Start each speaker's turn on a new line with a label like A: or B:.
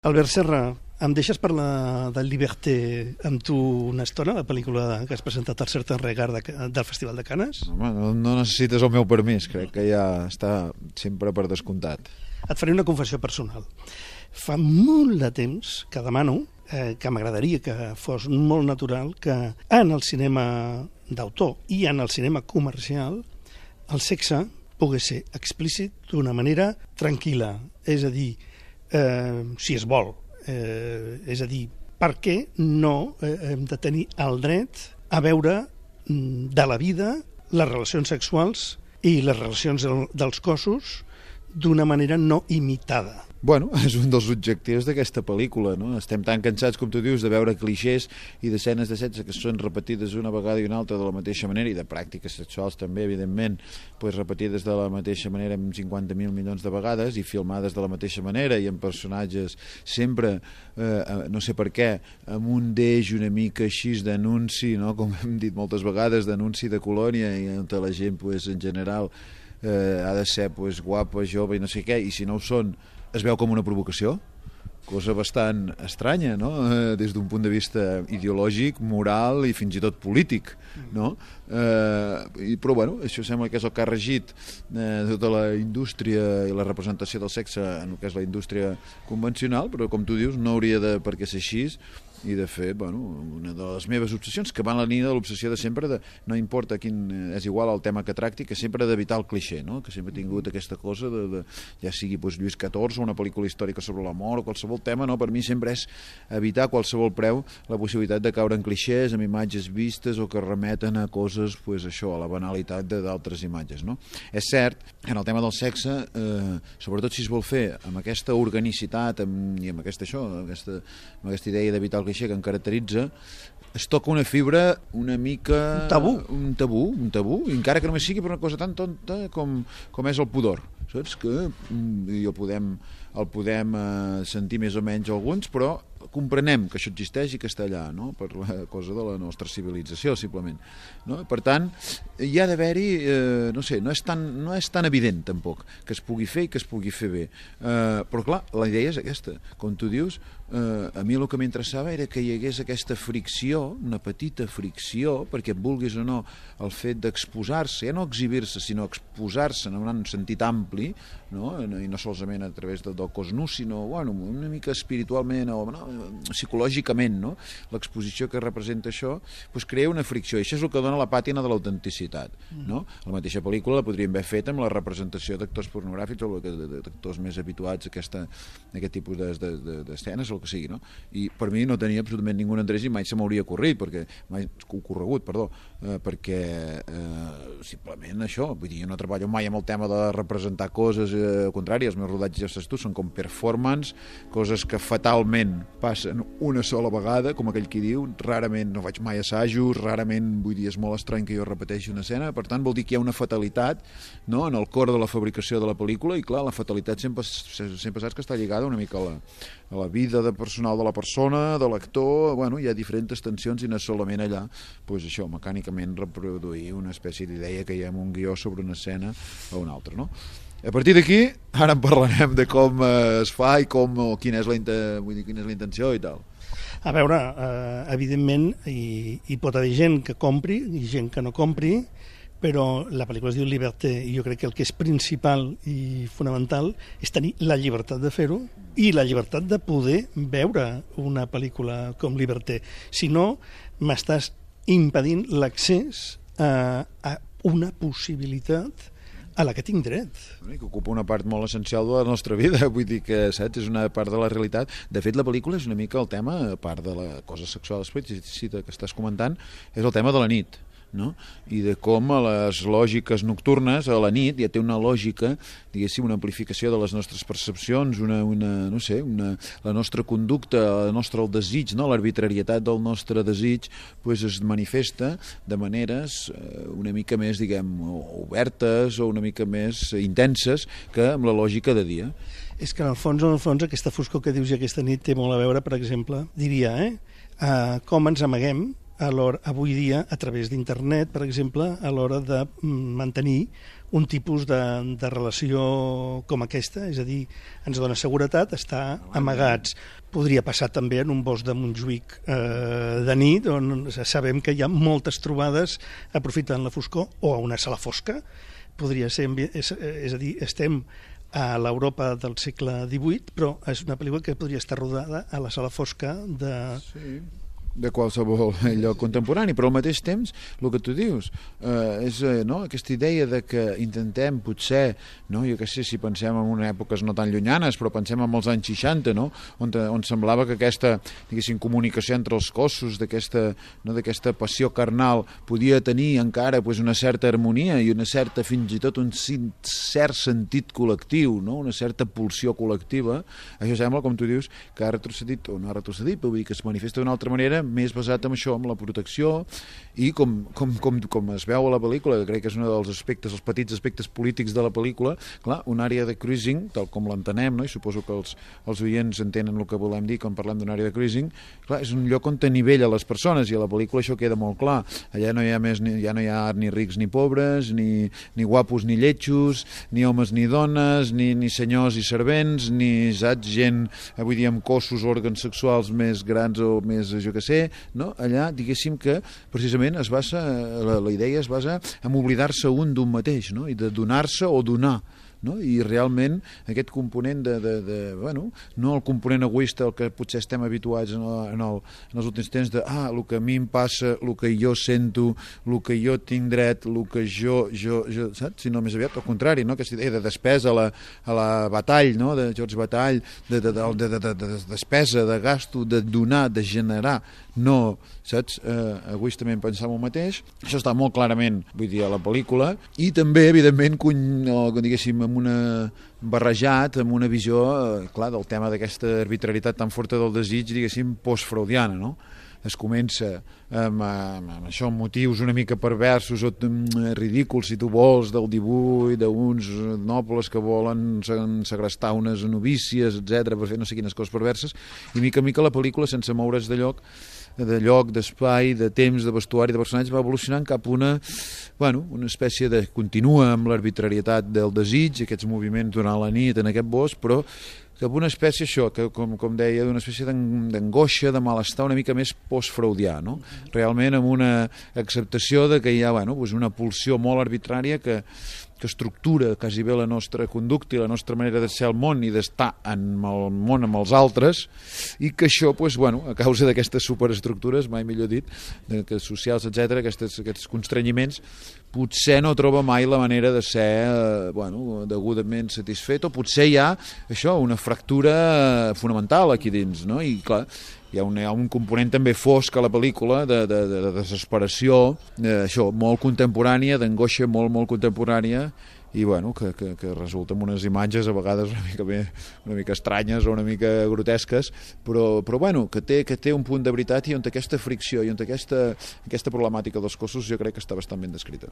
A: Albert Serra, em deixes parlar del Liberté amb tu una estona, la pel·lícula que has presentat al Certain Regard del Festival de Canes?
B: Home, no necessites el meu permís, crec que ja està sempre per descomptat.
A: Et faré una confessió personal. Fa molt de temps que demano, que m'agradaria que fos molt natural, que en el cinema d'autor i en el cinema comercial el sexe pogués ser explícit d'una manera tranquil·la, és a dir, si es vol, és a dir, per què no hem de tenir el dret a veure de la vida les relacions sexuals i les relacions dels cossos d'una manera no imitada?
B: Bueno, és un dels objectius d'aquesta pel·lícula, no? Estem tan cansats, com tu dius, de veure clixés i d'escenes de sexe que són repetides una vegada i una altra de la mateixa manera, i de pràctiques sexuals també, evidentment, pues repetides de la mateixa manera amb 50.000 milions de vegades i filmades de la mateixa manera i amb personatges sempre, no sé per què, amb un deix una mica així d'anunci, no? Com hem dit moltes vegades, d'anunci de colònia, i on la gent, pues, en general, ha de ser, pues, guapa, jove i no sé què, i si no ho són es veu com una provocació, cosa bastant estranya, no? Des d'un punt de vista ideològic, moral i fins i tot polític, no? Però bueno, això sembla que és el que ha regit tota la indústria i la representació del sexe en el que és la indústria convencional, però com tu dius no hauria de per què ser així. I de fet, bueno, una de les meves obsessions, que va en la línia de l'obsessió de sempre, no importa quin, és igual el tema que tracti, que sempre d'evitar el clixé, no? Que sempre he tingut aquesta cosa ja sigui pues, Lluís XIV o una pel·lícula històrica sobre l'amor o qualsevol tema, no? Per mi sempre és evitar a qualsevol preu la possibilitat de caure en clixés, amb imatges vistes o que remeten a coses, pues, això, a la banalitat d'altres imatges, no? És cert, en el tema del sexe, sobretot si es vol fer amb aquesta organicitat i amb aquesta idea d'evitar el clixé que en caracteritza, es toca una fibra una mica... Un tabú, encara que només sigui per una cosa tan tonta com és el pudor, saps? Que el podem sentir més o menys alguns, però comprenem que això existeix i que està allà, no? Per la cosa de la nostra civilització, simplement, no? Per tant, hi ha d'haver-hi, no sé, no és tan evident tampoc que es pugui fer i que es pugui fer bé, però clar, la idea és aquesta, com tu dius. A mi el que m'interessava era que hi hagués aquesta fricció, una petita fricció, perquè vulguis o no, el fet d'exposar-se, ja no exhibir-se, sinó exposar-se en un sentit ampli, no? I no solament a través del cos nu, sinó bueno, una mica espiritualment o psicològicament, no? L'exposició que representa això pues, crea una fricció, i això és el que dona la pàtina de l'autenticitat, no? La mateixa pel·lícula la podríem haver fet amb la representació d'actors pornogràfics o d'actors més habituats a aquest tipus d'escenes, el que sigui, no? I per mi no tenia absolutament ningú interès i mai se m'hauria ocorregut, perquè simplement això, vull dir, jo no treballo mai amb el tema de representar coses, al contrari, els meus rodatges, ja saps tu, són com performance, coses que fatalment passen una sola vegada, com aquell qui diu, rarament no faig mai assajos, rarament, vull dir, és molt estrany que jo repeteixi una escena, per tant vol dir que hi ha una fatalitat, no?, en el cor de la fabricació de la pel·lícula, i clar, la fatalitat sempre saps que està lligada una mica a la vida personal de la persona, de l'actor, bueno, hi ha diferents tensions i no és solament allà, doncs això, mecànicament reproduir una espècie d'idea que hi ha en un guió sobre una escena o una altra, no? A partir d'aquí, ara en parlarem de com es fa i quina és la intenció i tal.
A: A veure, evidentment hi pot haver gent que compri i gent que no compri, però la pel·lícula es diu Liberté i jo crec que el que és principal i fonamental és tenir la llibertat de fer-ho i la llibertat de poder veure una pel·lícula com Liberté. Si no, m'estàs impedint l'accés a una possibilitat a la que tinc dret.
B: Que ocupa una part molt essencial de la nostra vida, vull dir que, saps, és una part de la realitat. De fet, la pel·lícula és una mica el tema, a part de la cosa sexual explícita que estàs comentant, és el tema de la nit, no? I de com a les lògiques nocturnes a la nit ja té una lògica, diguéssim, una amplificació de les nostres percepcions, la nostra conducta, el desig, no? L'arbitrarietat del nostre desig pues, es manifesta de maneres una mica més, diguem, obertes o una mica més intenses que amb la lògica de dia.
A: És que en el fons aquesta foscor que dius i aquesta nit té molt a veure, per exemple, diria, com ens amaguem avui dia a través d'internet, per exemple, a l'hora de mantenir un tipus de relació com aquesta, és a dir, ens dona seguretat estar amagats. Podria passar també en un bosc de Montjuïc de nit, on sabem que hi ha moltes trobades aprofitant la foscor, o a una sala fosca. Podria ser, és a dir, estem a l'Europa del segle XVIII, però és una pel·lícula que podria estar rodada a la sala fosca
B: de qualsevol lloc contemporani, però al mateix temps el que tu dius és aquesta idea de que intentem potser, jo què sé, si pensem en èpoques no tan llunyanes, però pensem en els anys 60, on semblava que aquesta, diguéssim, comunicació entre els cossos, d'aquesta passió carnal podia tenir encara una certa harmonia i una certa, fins i tot un cert sentit col·lectiu, una certa pulsió col·lectiva. Això sembla, com tu dius, que ha retrocedit, o no ha retrocedit, però vull dir que es manifesta d'una altra manera, més basat en això, en la protecció, i com es veu a la pel·lícula, que crec que és un dels aspectes, els petits aspectes polítics de la pel·lícula, clar, una àrea de cruising, tal com l'entenem, i suposo que els oients entenen el que volem dir quan parlem d'una àrea de cruising, clar, és un lloc on t'anivella les persones, i a la pel·lícula això queda molt clar. Allà no hi ha ni rics ni pobres, ni guapos ni lletjos, ni homes ni dones, ni senyors i servents, ni gent, avui dia amb cossos, òrgans sexuals més grans o més, jo què sé, allà, diguéssim que precisament la idea es basa en oblidar-se un d'un mateix, i de donar-se o donar. I realment aquest component no el component egoista al que potser estem habituats en els últims temps de el que a mi em passa, el que jo sento, el que jo tinc dret, el que jo saps? Sinó més aviat al contrari, aquesta idea de despesa a la Batall, de George Batall, de despesa, de gasto, de donar, de generar, no, saps? Egoistament pensar en el mateix. Això està molt clarament, vull dir, a la pel·lícula, i també, evidentment, diguéssim, barrejat amb una visió, clar, del tema d'aquesta arbitrarietat tan forta del desig, diguéssim, postfreudiana, Es comença amb això, amb motius una mica perversos o ridículs, si tu vols, del dibuix d'uns nobles que volen segrestar unes novícies, etc, per fer no sé quines coses perverses, i mica en mica la pel·lícula, sense moure's de lloc, d'espai, de temps, de vestuari, de personatges, va evolucionant cap a una espècie de... Continua amb l'arbitrarietat del desig, aquests moviments durant la nit en aquest bosc, però cap a una espècie, això, que, com deia, d'una espècie d'angoixa, de malestar una mica més postfreudià, Realment amb una acceptació de que hi ha una pulsió molt arbitrària que estructura quasi bé la nostra conducta i la nostra manera de ser al món i d'estar en el món amb els altres, i que això, a causa d'aquestes superestructures, mai millor dit, socials, etc, aquests constrenyiments, potser no troba mai la manera de ser degudament satisfet, o potser hi ha això, una fractura fonamental aquí dins, I clar, hi ha un component també fosc a la pel·lícula de desesperació, això, molt contemporània, d'angoixa molt contemporània, i que resulta amb unes imatges a vegades una mica estranyes o una mica grotesques, però que té un punt de veritat, i on aquesta fricció i on aquesta problemàtica dels cossos jo crec que està bastant ben descrita.